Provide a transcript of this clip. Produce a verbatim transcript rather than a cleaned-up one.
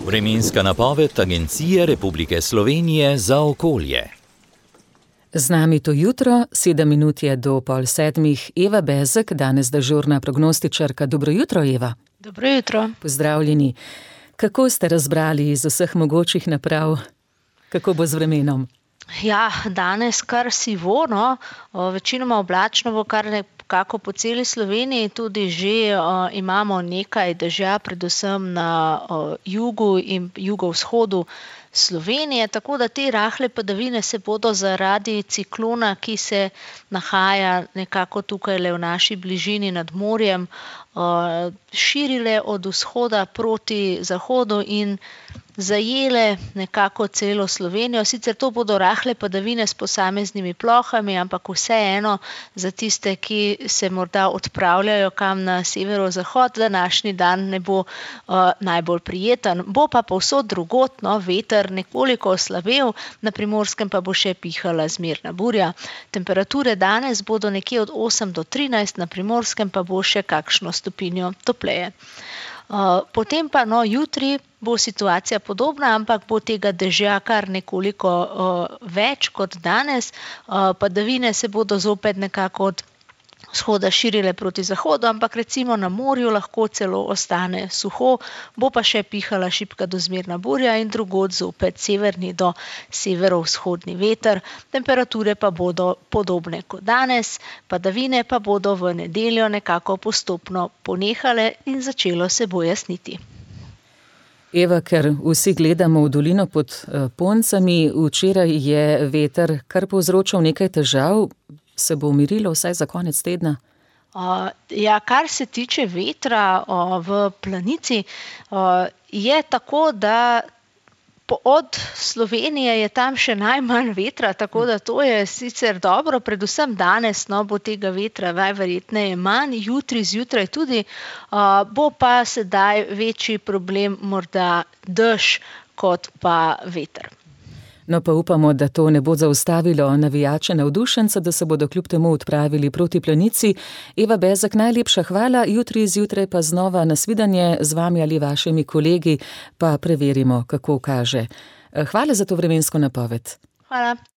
Vremenska napoved Agencije Republike Slovenije za okolje. Z nami to jutro, sedem minut je do pol sedmih, Eva Bezek, danes dežurna prognostičarka. Dobro jutro, Eva. Dobro jutro. Pozdravljeni. Kako ste razbrali iz vseh mogočih naprav? Kako bo z vremenom? Ja, danes kar sivo, no, večinoma oblačno bo kar nekako po celi Sloveniji, tudi že uh, imamo nekaj dežja, predvsem na uh, jugu in jugovzhodu Slovenije, tako da te rahle padavine se bodo zaradi ciklona, ki se nahaja nekako tukaj le v naši bližini nad morjem, uh, širile od vzhoda proti zahodu in zajele nekako celo Slovenijo. Sicer to bodo rahle padavine s posameznimi plohami, ampak vseeno za tiste, ki se morda odpravljajo kam na severozahod, današnji dan ne bo uh, najbolj prijeten. Bo pa povsod drugod, no, veter nekoliko oslabel, na Primorskem pa bo še pihala zmerna burja. Temperature danes bodo nekje od osem do trinajst, na Primorskem pa bo še kakšno stopinjo topleje. Uh, potem pa no, jutri bo situacija podobna, ampak bo tega dežja kar nekoliko uh, več kot danes. Uh, padavine se bodo zopet nekako od vzhoda širile proti zahodu, ampak recimo na morju lahko celo ostane suho, bo pa še pihala šibka do zmerna burja in drugod zopet severni do severovzhodni veter. Temperature pa bodo podobne kot danes, padavine pa bodo v nedeljo nekako postopno ponehale in začelo se bo jasniti. Eva, ker vsi gledamo v dolino pod Poncami, včeraj je veter kar povzročal nekaj težav. Se bo umirilo vsaj za konec tedna? Uh, ja, kar se tiče vetra uh, v Planici, uh, je tako, da po, od Slovenije je tam še najmanj vetra, tako da to je sicer dobro, predvsem danes no, bo tega vetra najverjetneje manj, jutri zjutraj tudi, uh, bo pa sedaj večji problem morda dež kot pa veter. No pa upamo, da to ne bo zaustavilo navijače navdušenca, da se bodo kljub temu odpravili proti Planici. Eva Bezek, najlepša hvala, jutri zjutraj pa znova nasvidenje z vami ali vašimi kolegi, pa preverimo, kako kaže. Hvala za to vremensko napoved. Hvala.